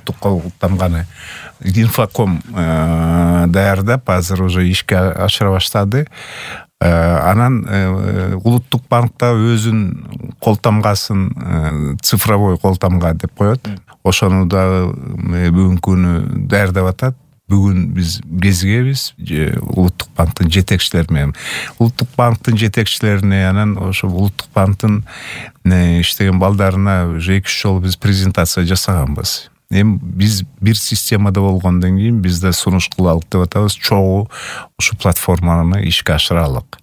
улуттук колтамганы Инфоком даярдап азыр уже ишке ашыра баштады. Анан улуттук банкта өзүнүн колтамгасын цифровой колтамга деп коет. Ошону дагы бүгүнкү күнү даярдап атат. Бүгүн биз кезигебиз улуттук банктын жетекчилери менен. Улуттук банктын жетекчилерине анан ошо улуттук банктын иштеген балдарына уже 2-3 жолу биз презентация жасаганбыз. Эми биз бир системада болгондон кийин биз да сунуш кылалык деп атабыз. Чогуу ушу платформаны ишке ашыралык.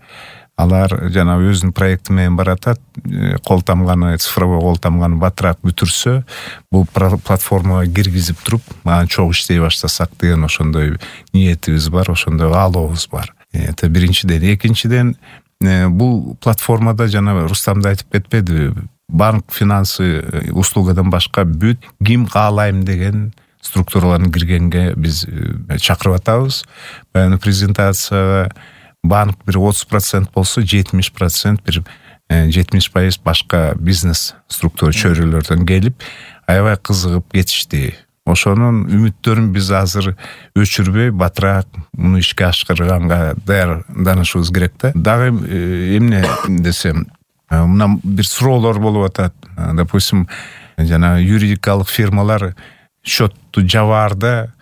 Алар жана өзүнүн проекти менен баратат. Колтамганы, цифровой колтамганы батыраак бүтүрсө, бул платформага киргизип туруп, мага чогуу иштей баштасак деген ошондой ниетибиз бар, ошондой каалообуз бар. Это биринчиден. Экинчиден, бул платформада жана Рустам да айтып кетпедиби, банк финансы услугадан башка бүт ким каалайм деген структураларын киргенге биз чакырып атабыз. Баягы презентацияга банк бир 30% болсо, 70% бир 70% башка бизнес структура чөйрөлөрдөн келип, аябай кызыгып кетишти. Ошонун үмүттөрүн биз азыр өчүрбөй, батыраак муну ишке ашырганга даярданышыбыз керек да. Дагы эмне десем, мына бир суроолор болуп атат. Допустим, жана юридикалык фирмалар счетту жабаарда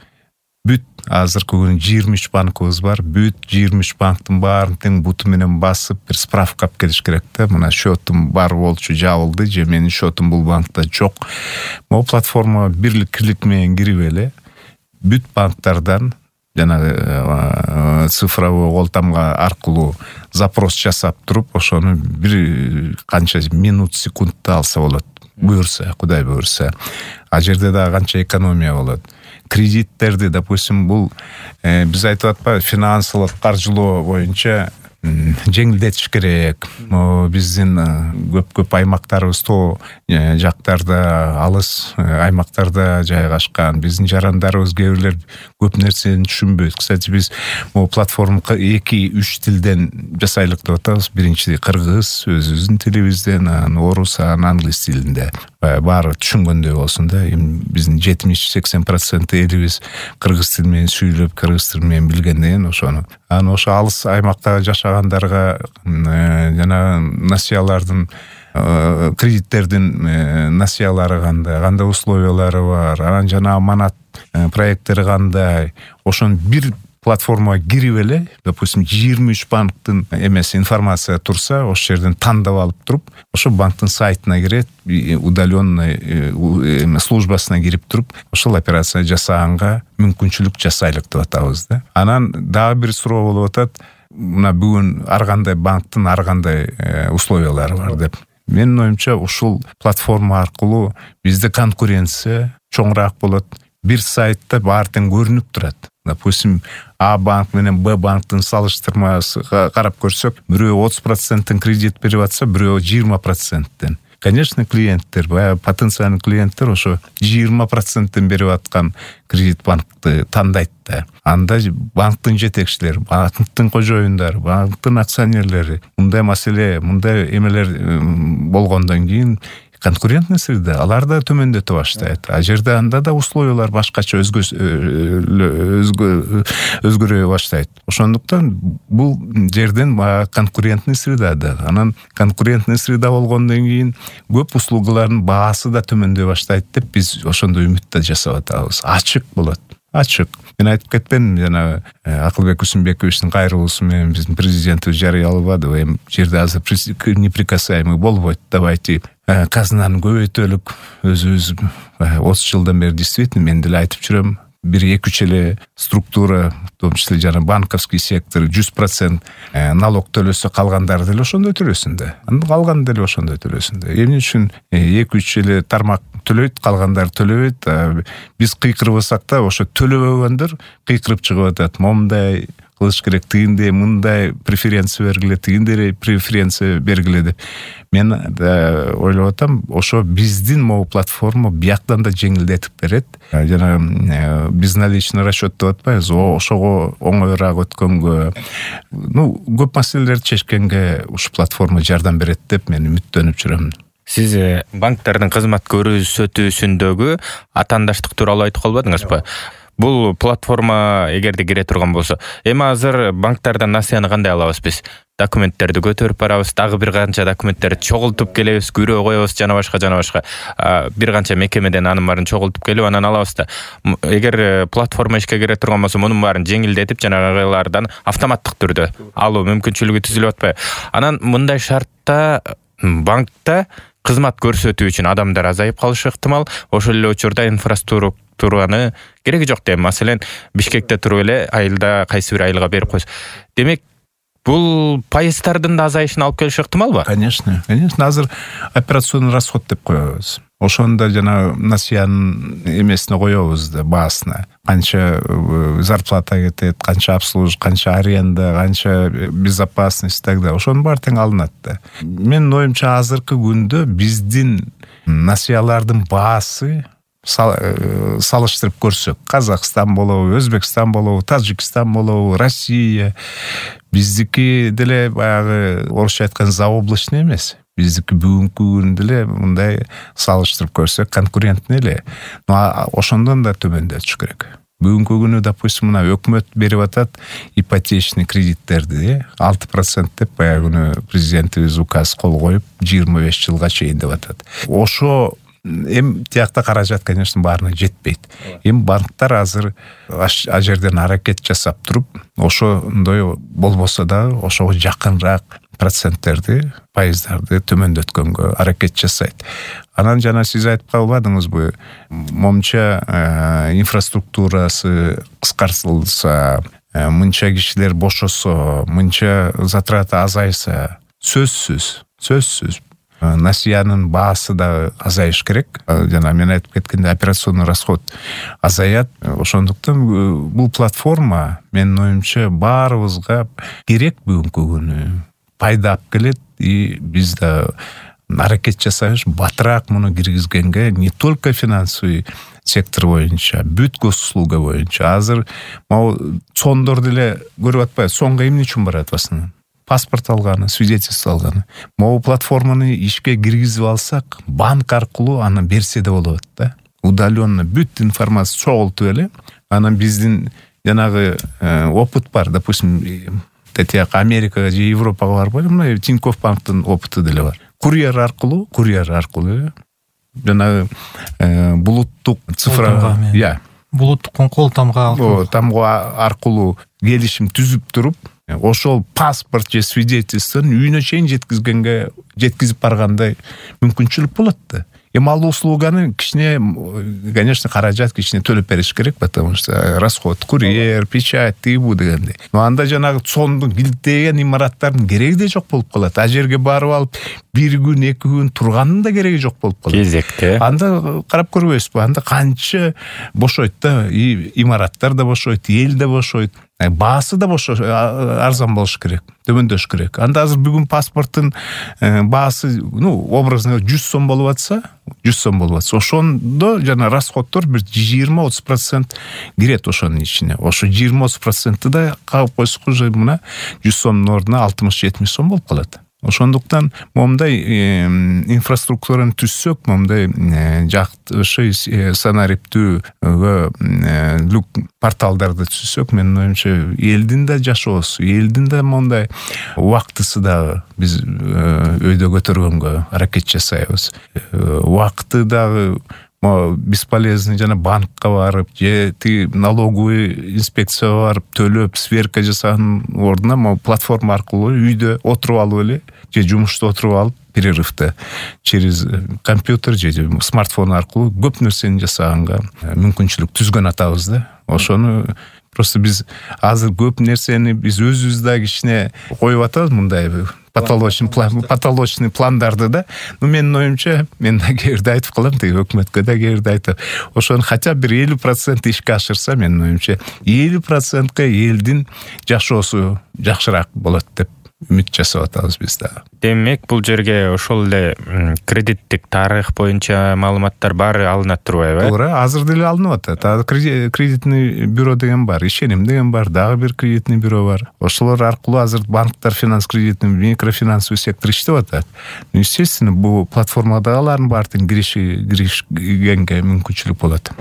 бүт азыркы күнү 23 банкыбыз бар. Бүт 23 банктын баарын тең буту менен басып бир справка алып келиш керек да. Мына счетум бар болчу, жабылды же менин счетум бул банкта жок. Могу платформага бирлик менен кирип эле бүт банктардан жана цифровой колтамга аркылуу запрос жасап туруп, ошону бир канча минут, секундта алса болот. Буюрса, Кудай буюрса. А жерде да канча экономия болот. Кредиттерди, допустим, бул биз айтып атпайбы, финансылык каржылоо боюнча жеңилдетиш керек. Биздин көп аймактарыбыз тоо жактарда, алыс аймактарда жайгашкан. Биздин жарандарыбыз кээ бирлер көп нерсени түшүнбөйт. Кстати, биз могу платформа 2-3 тилден жасайлык деп атабыз. Биринчи кыргыз, өзүбүздүн тилибизден, орус, англис тилинде. Баары түшүнгөндөй болсун да. Эми биздин 70-80% элибиз кыргыз тили менен сүйлөп, кыргыз тили менен билгенден ошону. Аны ошо алыс аймактагы жашагандарга жана насыялардын, кредиттердин насыялары кандай условиялары бар, анан жана аманат проекттери кандай, ошону бир платформага кирип эле, допустим, 23 банктын эмеси информация турса, ошол жерден тандап алып туруп, ошо банктын сайтына кирет, удаленный службасына кирип туруп, ошол операция жасаганга мүмкүнчүлүк жасайлык деп атабыз да. Анан дагы бир суроо болуп атат. Мына бүгүн ар кандай банктын ар кандай условиялары бар деп. Менин оюмча, ушул платформа аркылуу бизде конкуренция чоңураак болот. Бир сайтта баары тең көрүнүп турат. Допустим, А банк менен Б банктын салыштырмасы карап көрсөк, бирөө 30% кредит берип атса, бирөө 20%. Конечно, клиенттер, потенциальный клиенттер ошо 20% берип аткан кредит банкты тандайт да. Анда банктын жетекчилери, банктын кожоюндары, банктын акционерлери мындай маселе, мындай эмелер болгондон кийин конкурентный среда, алар да төмөндөтө баштайт. А жерде анда да условиялар башкача өзгөрө баштайт. Ошондуктан бул жерден конкурентный среда да. Анан конкурентный среда болгондон кийин көп услугалардын баасы да төмөндөй баштайт деп биз ошондой үмүттө жасап атабыз. Ачык болот. Ачык. Мен айтып кетпедим, жана Акылбек Усунбековичтин кайрылуусу менен биздин президентибиз жарыялабады. Эми жерде азыр неприкасаемый болбойт. Давайте казнаны көбөйтөлүк. Өзүбүз 30 жылдан бери действительно мен деле айтып жүрөм. 1-2 эле структура, в том числе жана банковский сектор 100% налог төлөсө, калгандары деле ошондой төлөсүн да. Калган деле ошондой төлөсүн да. Эмне үчүн 2-3 эле тармак төлөйт, калгандары төлөбөйт. Биз кыйкырбасак да ошо төлөбөгөндөр кыйкырып чыгып атат. Момундай кылыш керек, тигиндей, мындай преференция бергиле, тигиндей преференция бергиле деп. Мен ойлоп атам, ошо биздин могу платформа бияктан да жеңилдетип берет. Жана безналичный расчет деп атпайбыз, ошого оңоюраак өткөнгө, көп маселелерди чечкенге ушу платформа жардам берет деп мен үмүттөнүп жүрөм. Сиз банктардын кызмат көрсөтүүсүндөгү атаандаштык тууралуу айтып калбадыңызбы? Бул платформа эгерде кире турган болсо, эми азыр банктардан насыяны кандай алабыз биз? Документтерди көтөрүп барабыз, дагы бир канча документтерди чогултуп келебиз, күрөө коебуз, жана башка. Бир канча мекемеден анын баарын чогултуп келип анан алабыз да. Эгер платформа ишке кире турган болсо, мунун баарын жеңилдетип, жанагылардан автоматтык түрдө алуу мүмкүнчүлүгү түзүлүп атпайбы? Анан мындай шартта банкта кызмат көрсөтүү үчүн адамдар азайып калышы ыктымал. Ошол эле учурда инфраструктураны кереги жок дейм. Маселен, Бишкекте туруп эле айылда кайсы бир айылга берип койсо. Демек, бул пайыздардын да азайышына алып келиши ыктымалбы? Конечно. Азыр операционный расход деп коебуз. Ошондо жана насыянын эмесине коебуз да, баасына. Канча зарплата кетет, канча обслуживание, канча аренда, канча безопасность так далее. Ошонун баары тең алынат да. Менин оюмча азыркы күндө биздин насыялардын баасы салыштырып көрсөк, Казакстан болобу, Өзбекстан болобу, Тажикстан болобу, Россия, биздики деле баягы орусча айткан заоблачный эмес. Биздики бүгүнкү күндө эле мындай салыштырып көрсөк конкурентный эле. Ошондон да төмөндөтүш керек. Бүгүнкү күнү, допустим, мына өкмөт берип атат ипотечный кредиттерди 6% деп баягы күнү президентибиз указ кол коюп 25 жылга чейин деп атат. Ошо эми тиякта каражат, конечно, баарына жетпейт. Эми банктар азыр а жерден аракет жасап туруп, ошондой болбосо дагы ошого жакынраак проценттерди, пайыздарды төмөндөткөнгө аракет жасайт. Анан жана сиз айтып калбадыңызбы, момча инфраструктурасы кыскартылса, мынча кишилер бошосо, мынча затраты азайса, сөзсүз насыянын баасы да азайыш керек. Жана мен айтып кеткендей, операционный расход азаят. Ошондуктан бул платформа менин оюмча баарыбызга керек бүгүнкү күнү. Пайда алып келет, и биз да аракет жасайбыз батыраак муну киргизгенге, не только финансовый сектор боюнча, бүт госуслуга боюнча. Азыр могу цондор деле көрүп атпайбы? Цонго эмне үчүн барат басына? Паспорт алганы, свидетельство алганы. Могу платформаны ишке киргизип алсак, банк аркылуу аны берсе да болот да. Удаленно бүт информация чогултуп эле, анан биздин жанагы опыт бар, допустим, тетияк Америкага же Европага барып, мына Тинькофф банктын опыты деле бар. Курьер аркылуу жанагы булуттук цифра, булуттук кол тамга аркылуу келишим түзүп туруп, ошол паспорт же свидетельствону үйүнө чейин жеткизип баргандай мүмкүнчүлүк болот да. Эми ал услуганы кичине, конечно, каражат кичине төлөп бериш керек, потому что расход, курьер, печать, тыйбу дегендей. Но анда жанагы цондун килиттеген имараттардын кереги да жок болуп калат. А жерге барып алып, бир күн, 2 күн турганын да кереги жок болуп калат. Кезекте. Анда карап көрбөйсүзбү? Анда канча бошойт да, имараттар да бошойт, эл да бошойт. Баасы да арзан болуш керек, төмөндөш керек. Анда азыр бүгүн паспорттун баасы, образно 100 сом болуп атса, ошондо жана расходдор бир 20-30% кирет ошонун ичине. Ошо 20-30% да калып койсок, уже мына 100 сомдун ордуна 60-70 сом болуп калат. Ошондуктан момундай инфраструктураны түзсөк, момундай жакшы санариптүүгө люк порталдарды түзсөк, менин оюмча элдин да жашоосу, элдин да момундай убактысы дагы биз өйдө көтөргөнгө аракет жасайбыз. Убакыты дагы бесполезный жана банкка барып, же налоговый инспекцияга барып төлөп, сверка жасаганын ордуна платформа аркылуу үйдө отуруп алып эле, же жумушта отуруп алып, перерывда через компьютер же смартфон аркылуу көп нерсени жасаганга мүмкүнчүлүк түзгөн атабыз да. Ошону просто биз азыр көп нерсени биз өзүбүз да кичине коюп атабыз, мындай патологичный пландарды да. Менин оюмча, мен да кээде айтып калам, өкмөткө да кээде айтып, ошону хотя бир 50% ишке ашырса, менин оюмча 50%га элдин жашоосу жакшыраак болот деп үмүт жасап атабыз биз дагы. Демек бул жерге ошол эле кредиттик тарых боюнча маалыматтар баары алынат турбайбы? Туура, азыр деле алынып атат. Азыр кредитный бюро деген бар, ишеним деген бар, дагы бир кредитный бюро бар. Ошолор аркылуу азыр банктар финанс кредитный, микрофинансовый сектор иштеп атат. Естественно, бул платформада алардын баардыгын киришкенге мүмкүнчүлүк болот.